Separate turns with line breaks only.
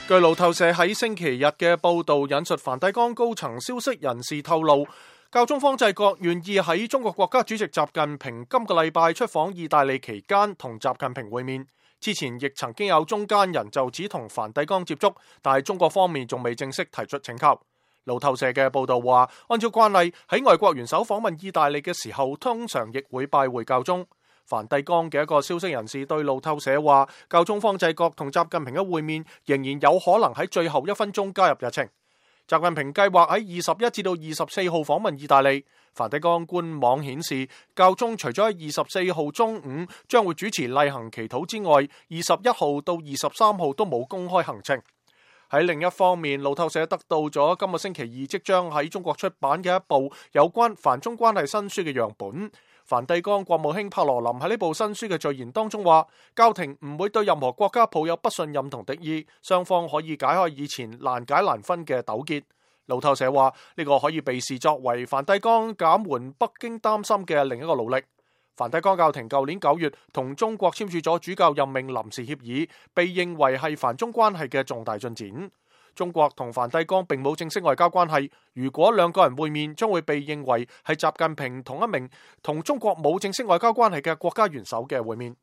據路透社喺星期日嘅報道引述梵蒂岡高層消息人士透露，教宗方濟各願意喺中國國家主席習近平今個禮拜出訪意大利期間同習近平會面。之前亦曾經有中間人就此同梵蒂岡接觸，但係中國方面仲未正式提出請求。路透社嘅報道話，按照慣例喺外國元首訪問意大利嘅時候，通常亦會拜會教宗。梵蒂岡嘅一個消息人士對路透社話，教宗方濟各同習近平嘅會面仍然有可能喺最後1分鐘加入日程。習近平計劃喺21至到24號訪問意大利。梵蒂岡官網顯示，教宗除咗喺24號中午將會主持例行祈禱之外，21號到23號都冇公開行程。喺另一方面，路透社得到咗今個星期二即將喺中國出版嘅一部有關梵中關係新書嘅樣本。梵蒂岡國務卿帕羅林喺呢部新書嘅序言當中話，教廷唔會對任何國家抱有不信任同敵意，雙方可以解開以前難解難分嘅糾結。路透社話，呢個可以被視作為梵蒂岡減緩北京擔心嘅另一個努力。梵蒂岡教廷舊年9月同中國簽署咗主教任命臨時協議，被認為係梵中關係嘅重大進展。中國同梵蒂岡並冇正式外交關係，如果兩個人會面，將會被認為係習近平同一名同中國冇正式外交關係嘅國家元首嘅會面。